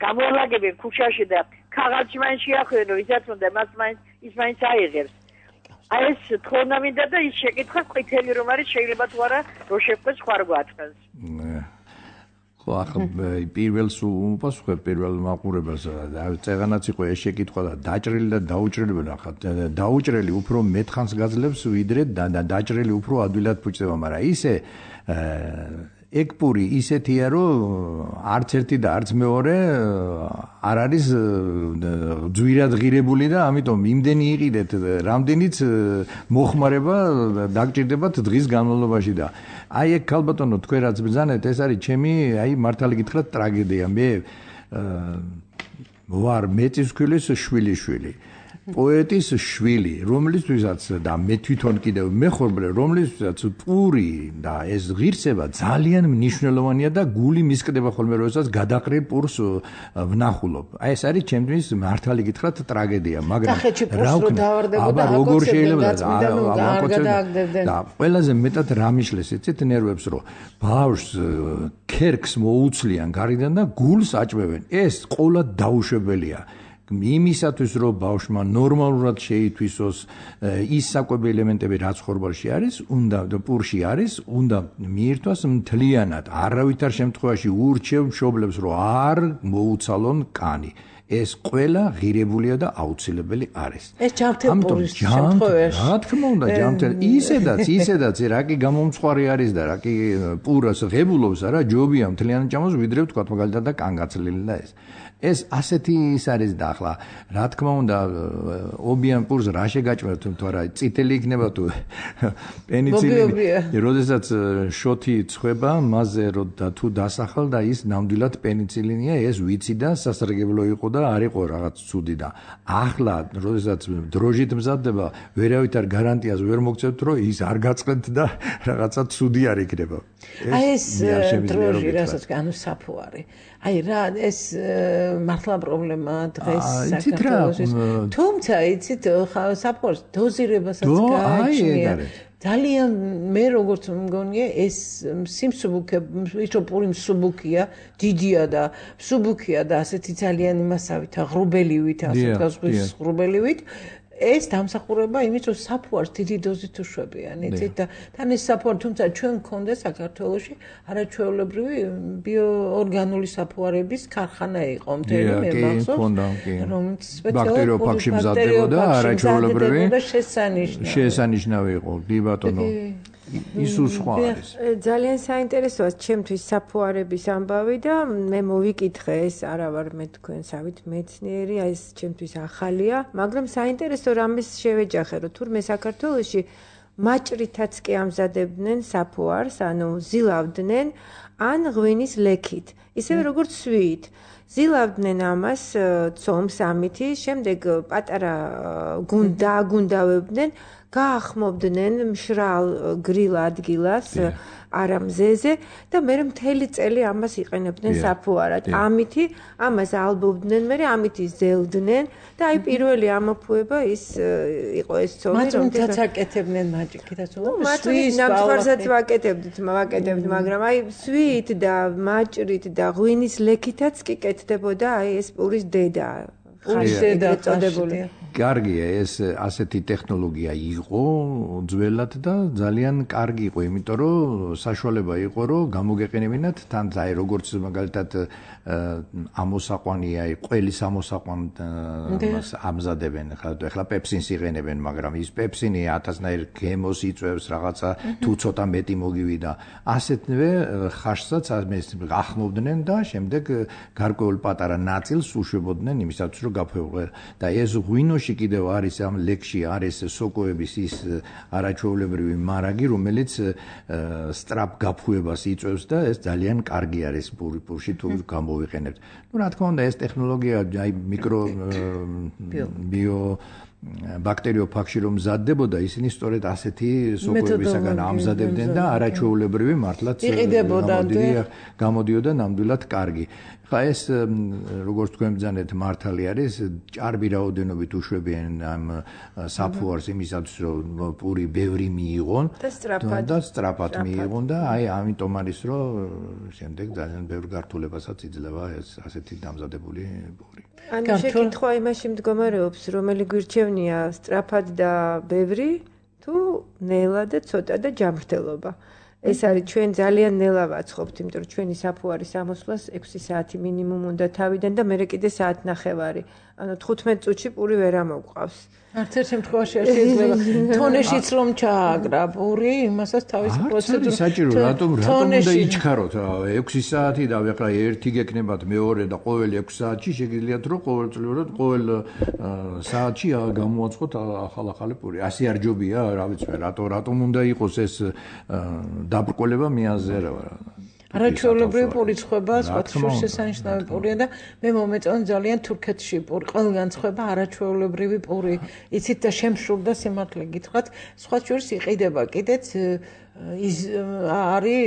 გამოალაგებენ ქუჩაში და ქაღალდში მაინც შეახვენ ვისაც უნდა ის მაინც აიღებს აი ეს თხოვნა მინდა და ის შეკითხვა ყითელი რომ არის შეიძლება თუ არა რო შეხვდეს სხვა რო გვაწყენს ხო ახლა პირველს უპასუხებ პირველ მაყურებელს წეღანაც იყო ეს შეკითხვა და დაჭრილი და დაუჭრელი ახლა დაუჭრელი უფრო მეთხანს გაძლევს ვიდრე დაჭრელი უფრო ადვილად ფუჭდება მაგრამ ისე ეგ პური ისეთია რომ არც ერთი და არც მეორე არ არის ძვირად ღირებული და ამიტომ იმდენი იყიდეთ რამდენიც მოხმარება დაგჭირდებათ დღის განმავლობაში და აი ეგ ქალბატონო თქვენ რაც ბრძანეთ ეს არის ჩემი აი მართალი გითხრათ ტრაგედია მე ვარ მეწისქვილის შვილიშვილი პოეტის შვილი რომლისთვისაც და მე თვითონ კიდევ მეხორბლე რომლისთვისაც პური და ეს ღირსება ძალიან მნიშვნელოვანია და გული მისკდება ხოლმე როდესაც გადაყრილ პურს ვნახულობ აი ეს არის ჩემთვის მართალი გითხრათ ტრაგედია მაგრამ რა აბა როგორ შეიძლება და ყველაზე მეტად რა მიშლეს იცით ნერვებს რომ ბავშვს ქერქს მოუცლიან გარედან და გულს აჭმევენ ეს ყოლა დაუშვებელია იმისათვის რომ ბავშვმა ნორმალურად შეითვისოს ის საკვები ელემენტები რაც ხორბალში არის, პურში არის, უნდა მიირთვას მთლიანად. არავითარ შემთხვევაში ურჩევ მშობლებს რომ არ მოუცალონ კანი. ეს ყველა ღირებულია და აუცილებელი არის. ეს ჯანმრთელობის შემთხვევაში. რა თქმა უნდა, ისედაც რა კი გამომცხვარი არის და რა კი პურას ღებულობს, არა, ჯობია მთლიანად ჭამოს, ვიდრე თქვა მაგალითად და კანგაცლილი და ეს. ეს ასეთი ის არის და ახლა რა თქმა უნდა ობიან პურს რა შეგაჭმევთ თუ არა წითელი იქნება თუ პენიცილინი როდესაც შოთი წვება მასზე თუ დასახალ და ის ნამდვილად პენიცილინია ეს ვიცი და სასარგებლო იყო და არ იყო რაღაც ცუდი და ახლა როდესაც დროჟით მზადდება ვერავითარ გარანტიას ვერ მოგცევთ რომ ის არ გაწყენთ და რაღაცა ცუდი არ იქნება ეს დროჟი რასაც ანუ საფუარი აი რა ეს მართლა პრობლემაა დღეს საქართველოში. თუმცა იცით საფუარს დოზირებასაც გააჩნია. ძალიან მე როგორც მგონია ეს სიმსუბუქე ის რომ პური მსუბუქია, დიდია და მსუბუქია და ასეთი ძალიან იმასავით ღრუბელივით, ასე გასხვის ღრუბელივით ეს დამსახურება იმის რომ საფუარს დიდი დოზით უშვებიან, იცით და თან ეს საფუარი თუმცა ჩვენ გქონდა საქართველოში არაჩვეულებრივი ბიოორგანული საფუარების ქარხანა იყო მთელი მე მახსოვს რომელიც ბაქტერიო ფაქში მზადდებოდა არაჩვეულებრივი შესანიშნავი იყო დი ბატონო ის სხვა არის. ძალიან საინტერესოა ჩემთვის საფუარების ამბავი და მე მოვიკითხე ეს არა ვარ მე თქვენსავით მეცნიერი, ეს ჩემთვის ახალია, მაგრამ საინტერესო რამეს შევეჯახე, რომ თურმე საქართველოში მაჭრითაც კი ამზადებდნენ საფუარს, ანუ ზილავდნენ ან ღვინის ლექით, ისევე როგორც სვიით. ზილავდნენ ამას ცომს ამითი, შემდეგ პატარა დააგუნდავებდნენ გაახმობდნენ მშრალ გრილ ადგილას არა მზეზე და მე მთელი წელი ამას იყენებდნენ საფუარად. ამითი ამას ალბობდნენ, მე ამითი ზელდნენ და აი პირველი ამოფუება ის იყო ეს ცომი, რომელსაც აკეთებდნენ მაჭიქითაც, სვიის ნამსხვრსაც ვაკეთებდით, მაგრამ აი სვით და მაჭრით და ღვინის ლექითაც კი კეთდებოდა აი ეს პურის დედა. პურის დედა წოდებული. კარგია ეს ასეთი ტექნოლოგია იყო ძველად და ძალიან კარგი იყო, იმიტომ რომ საშუალება იყო რომ გამოგეყენებინათ თან აი როგორც მაგალითად ამოსაყვანია, ყველის ამოსაყვანს ამზადებენ, ხლა პეპსინს იყენებენ, მაგრამ ის პეპსინი 1000-ნაირ გემოს იწვევს რაღაცა თუ ცოტა მეტი მოგივიდა. ასეთვე ხაშსაც ახმობდნენ და შემდეგ გარკვეულ პატარა ნაწილს უშვებოდნენ იმისათვის რომ გაფეულიყო და ეს ღვინოში კიდევ არის ამ ლექში არის სოკოების ის არაჩვეულებრივი მარაგი, რომელიც სწრაფ გაფუებას იწვევს და ეს ძალიან კარგი არის პურში თუ გამოვიყენებთ. Ну, რა თქმა უნდა, ეს ტექნოლოგია აი მიკრო ბიო ბაქტერიო ფაქში რომ მზადდებოდა, ისინი სწორედ ასეთი სოკოებისაგან ამზადებდნენ და არაჩვეულებრივი მართლაც გამოდიოდა ნამდვილად კარგი. ხა ეს როგორც თქვენ ბრძანეთ მართალი არის, ჭარბი რაოდენობით უშვებიან ამ საფუარს იმისათვის რომ პური ბევრი მიიღონ და სწრაფად მიიღონ და აი ამიტომ არის რომ შემდეგ ძალიან ბევრ გართულებასაც იძლევა ეს ასეთი დამზადებული პური. ანუ შეკითხვა იმაში მდგომარეობს, რომელი გვირჩევნია სწრაფად და ბევრი თუ ნელა და ცოტა და ჯანმრთელობა. ეს არის ჩვენ ძალიან ნელა ვაცხობთ, იმიტომ რომ ჩვენი საფუარის ამოსვლას 6 საათი მინიმუმ უნდა თავიდან და მერე კიდე საათნახევარი. ანუ 15 წუთში პური ვერ ამოგვყავს. არც ერთ შემთხვევაში არ შეიძლება თონეშიც რომ ჩააგრა პური, იმასაც თავის პროცედურა. საჭირო, რატომ უნდა იჩქაროთ 6 საათი და ახლა ერთი გეკნებათ მეორე და ყოველი 6 საათში შეგიძლიათ რომ ყოველწლიურად ყოველ საათში გამოაცხოთ ახალ-ახალი პური. ასე არ ჯობია, რა ვიცი, რატომ უნდა იყოს ეს დაბრკოლება მიაზერავა. არაჩვეულებრივი პური ცხება, სხვათა შესანიშნავი პურია და მე მომეწონა ძალიან თურქეთში პური, ყველგან ცხება არაჩვეულებრივი პური. იცით და შემშურდა სიმართლე გითხრათ, სხვა შორის იყიდება კიდეც ის არის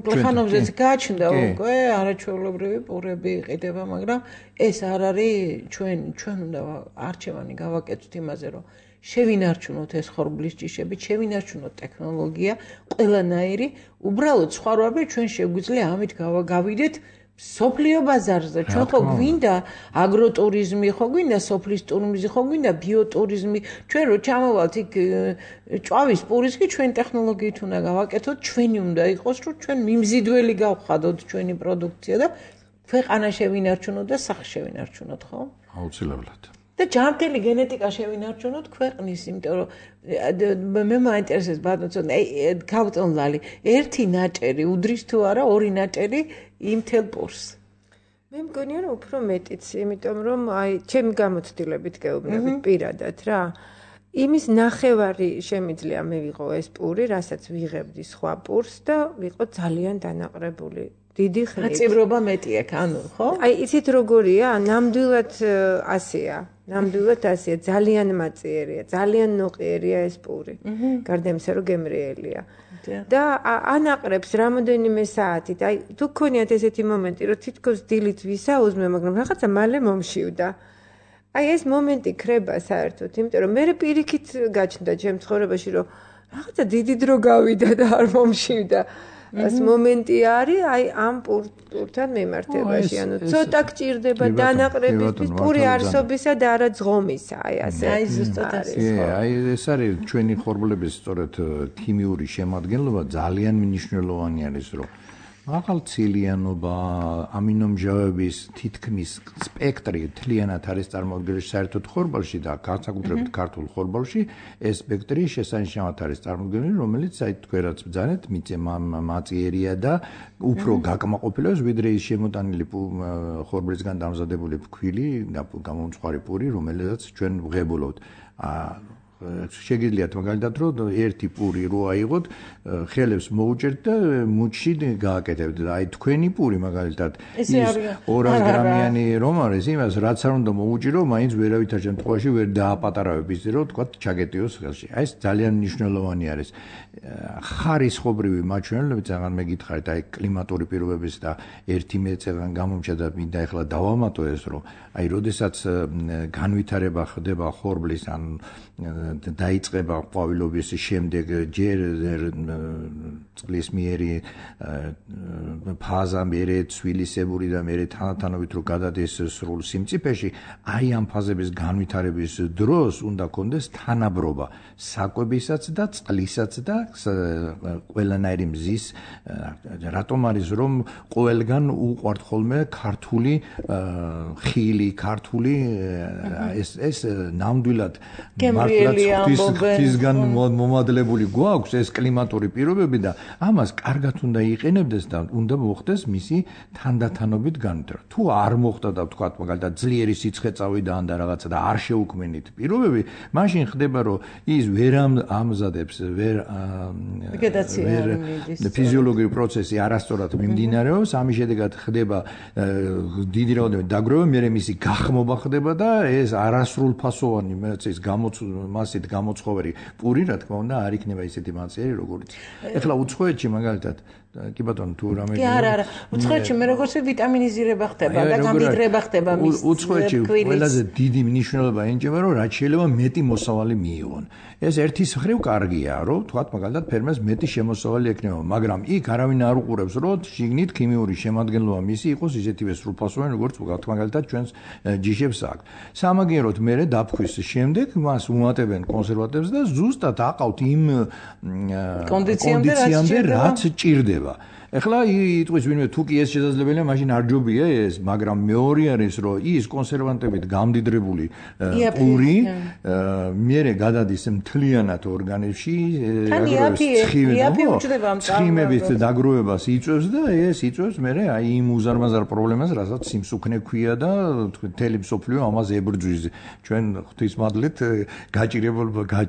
პლეხანოვზეც გააჩნდა უკვე არაჩვეულებრივი პურები იყიდება, მაგრამ ეს არ არის ჩვენ უნდა არჩევანი გავაკეთოთ იმაზე, რომ შევინარჩუნოთ ეს ხორბლის ჯიშები, შევინარჩუნოთ ტექნოლოგია, ყველანაირი, უბრალოდ სხვა როები ჩვენ შეგვიძლია ამით გავიდეთ სოფლიო ბაზარზე ჩვენ ხო გვინდა აგროტურიზმი, ხო გვინდა სოფლის ტურიზმი, ხო გვინდა ბიოტურიზმი. ჩვენ რო ჩამოვალთ იქ ჭვავის პურის კი ჩვენ ტექნოლოგიით უნდა გავაკეთოთ, ჩვენი უნდა იყოს, რომ ჩვენ მიმზიდველი გავხადოთ ჩვენი პროდუქცია და ქვეყანა შევინარჩუნოთ და სახე შევინარჩუნოთ, ხო? აუცილებლად. და ჯანმრთელი გენეტიკა შევინარჩუნოთ ქვეყნის, იმიტომ რომ მე მაინტერესებს ბატონო, გავწონლალი, ერთი ნაჭერი უდრის თუ არა, ორი ნაჭერი იმ თელ პურს. მე მგონია რომ უფრო მეტიც, იმიტომ რომ აი ჩემი გამოცდილებით გეუბნებით პირადად რა. იმის ნახევარი შემიძლია მე ვიყო ეს პური, რასაც ვიღებდი სხვა პურს და ვიყო ძალიან დანაყრებული. დიდი ხნით. აწიბრობა მეტი აქვს, ანუ, ხო? აი, იცით როგორია? ნამდვილად ასეა. ნამდვილად ასეა, ძალიან მაწიერია, ძალიან ნოყიერია ეს პური. გარდა იმისა, რომ გემრიელია. და ანაყრებს რამოდენიმე საათით. აი, თუ გქონიათ ესეთი მომენტი, რომ თითქოს დილით ვისაუზმე, მაგრამ რაღაცა მალე მომშივდა. აი, ეს მომენტი ქრება საერთოდ, იმიტომ რომ მე პირიქით გაჩნდა ჩემ ცხოვრებაში, რომ რაღაცა დიდი დრო გავიდა და არ მომშივდა. ეს მომენტი არის აი ამ პურთან მიმართებაში, ანუ ცოტა გჭირდება დანაყრებისთვის პური არსობისა და არა ძღომისა, აი ასე. აი ზუსტად ასე. აი ეს არის ჩვენი ხორბლების სწორედ ქიმიური შემადგენლობა ძალიან მნიშვნელოვანი არის, რომ მაღალცილიანობა, ამინომჟავების თითქმის სპექტრი მთლიანად არის წარმოდგენილი საერთოდ ხორბალში და განსაკუთრებით ქართულ ხორბალში ეს სპექტრი შესანიშნავად არის წარმოდგენილი, რომელიც აი თქვენაც ბძანეთ, მაწიერია და უფრო გაკმაყოფილებს, ვიდრე ის შემოტანილი ხორბლისგან დამზადებული ფქვილი და გამომწვარი პური, რომელსაც ჩვენ ვღებულობთ. შეგიძლიათ მაგალითად რომ ერთი პური რო აიღოთ, ხელებს მოუჭერთ და მუჩში გააკეთებთ და აი თქვენი პური მაგალითად ის 200 გრამიანი რომ არის, იმას რაც არ უნდა მოუჭირო, მაინც ვერავითარ შემთხვევაში ვერ დააპატარავებ ისე რომ თქვა ჩაგეტიოს ხელში. აი ეს ძალიან მნიშვნელოვანი არის. ხარისხობრივი მაჩვენებლები ძალიან მეკითხარით, აი კლიმატური პირობების და ერთი მეწევან გამომჩა და მინდა ახლა დავამატო ეს რომ აი როდესაც განვითარება ხდება ხორბლის ან დაიწყება ყვავილობის შემდეგ ჯერ წყლის მიერი ფაზა მერე ცვილისებური და მერე თანათანობით რომ გადადეს სრულ სიმწიფეში, აი ამ ფაზების განვითარების დროს უნდა კონდეს თანაბრობა საკვებისაც და წყლისაც და ყველანაირი მზის, რატომ არის რომ ყველგან უყვართ ხოლმე ქართული ხილი, ქართული ეს ნამდვილად ღვთისგან მომადლებული გვაქვს ეს კლიმატური პირობები და ამას კარგად უნდა იყენებდეს და უნდა მოხდეს მისი თანდათანობით განვითარება. თუ არ მოხდა და ვთქვათ მაგალითად ძლიერი სიცხე წავიდა და რაღაცა და არ შეუქმნით პირობები, მაშინ ხდება რომ ის ვერ ამზადებს, ვერ ფიზიოლოგიური პროცესი არასწორად მიმდინარეობს, ამის შედეგად ხდება დიდი რაოდენობით დაგროვა, მერე მისი გახმობა ხდება და ეს არასრულფასოვანი მეცის მასით გამოცხოვერი პური, რა თქმა უნდა, არ იქნება ისეთი მაწიერი, როგორც. ეხლა უცხოეთში მაგალითად კი ბატონო თუ რამე კი არა, უცხოეთში მე როგორც ვიტამინიზირება ხდება და გამდიდრება ხდება მის უცხოეთში ყველაზე დიდი მნიშვნელობა ენიჭება, რომ რაც შეიძლება მეტი მოსავალი მიიღონ. ეს ერთის მხრივ კარგია, რომ თქვათ მაგალითად ფერმერს მეტი შემოსავალი ექნება, მაგრამ იქ არავინ არ უყურებს, რომ შიგნით ქიმიური შემადგენლობა მისი იყოს ისეთივე სრულფასოვანი, როგორც ვთქვათ მაგალითად ჩვენს ჯიშებს აქვს. სამაგიეროდ მერე დაფქვის შემდეგ მას უმატებენ კონსერვატებს და ზუსტად აყავთ იმ კონდიციამდე რაც ჭირდება. ეხლა იტყვის ვინმე თუ კი ეს შესაძლებელია, მაშინ არ ჯობია ეს, მაგრამ მეორე არის რომ ის კონსერვანტებით გამდიდრებული პური მერე გადადის მთლიანად ორგანიზმში, ცხიმებით დაგროვებას იწვევს და ეს იწვევს მერე აი იმ უზარმაზარ პრობლემას, რასაც სიმსუქნე ქვია და მთელი მსოფლიო ამას ებრძვის. ჩვენ ღვთისმადლით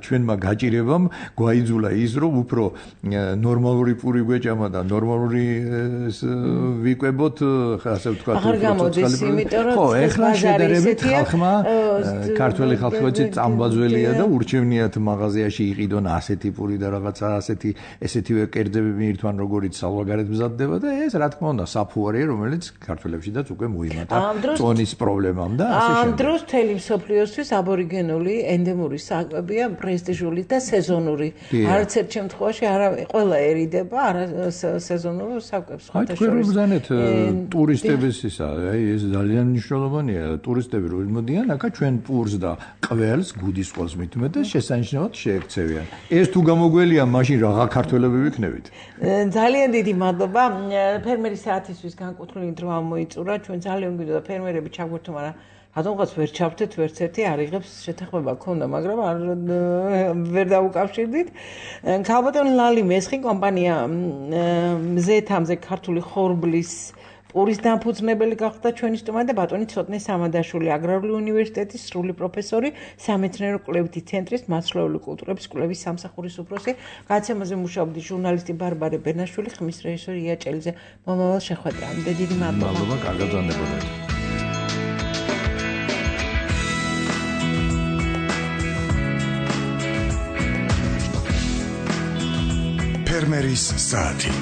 ჩვენმა გაჭირებამ გვაიძულა ის რომ უფრო ნორმალური პური გვეჭამა და ნორმალური ვიკვებოთ, ასე ვთქვათ, აღარ გამოდის, იმიტომ რომ ხო, ეხლა შედარებით ხალხმა ქართველი ხალხი წამბაძველია და ურჩევნიათ მაღაზიაში იყიდონ ასეთი პური და რაღაცა ესეთივე კერძები მიირთვან, როგორიც საზღვარგარეთ მზადდება და ეს რა თქმა უნდა საფუარია, რომელიც ქართველებშიდაც უკვე მოიმატა წონის პრობლემამ და ასე შემდეგ. ამ დროს მთელი მსოფლიოსთვის აბორიგენული ენდემური საკვებია პრესტიჟული და სეზონური. არც ერთ შემთხვევაში არა ყველაერიდება, არა სეზონური ხელოვნებო საკვებს ხოთა შორის. აი, ბრძანეთ ტურისტების ისა, აი ეს ძალიან მნიშვნელოვანია, ტურისტები რო მოდიან, აქა ჩვენ პურს და ყველს, გუდის ყველს მithumet და შესანიშნავად შეექცევიან. ეს თუ გამოგველია, მაშინ რაღა ქართველები ვიქნებით. ძალიან დიდი მადლობა. ფერმერის საათისთვის განკუთვნილი დროა მოიწურა. ჩვენ ძალიან გვინდა ფერმერები ჩაგვერთო, მაგრამ რატომღაც ვერ ჩავთეთ, ვერც ერთი არ იღებს შეთანხმება ქონდა, მაგრამ ვერ დაუკავშირდით. ქალბატონ ლალი მესხი კომპანია მზეთამზე ქართული ხორბლის პურის დამფუძნებელი გახდა ჩვენი სტუმარი და ბატონი ცოტნე სამადაშვილი, აგრარული უნივერსიტეტის სრული პროფესორი, სამეცნიერო კვლევითი ცენტრის მასშტაბური კულტურების კვლევის სამსახურის უფროსი, გადაცემაზე მუშაობდი ჟურნალისტი ბარბარე ბერნაშვილი, ხმის რეჟისორი ია ჭელიძე. მომავალ შეხვედრამდე დიდი მადლობა. მადლობა, კარგად განებოდეთ. ფერმერის საათი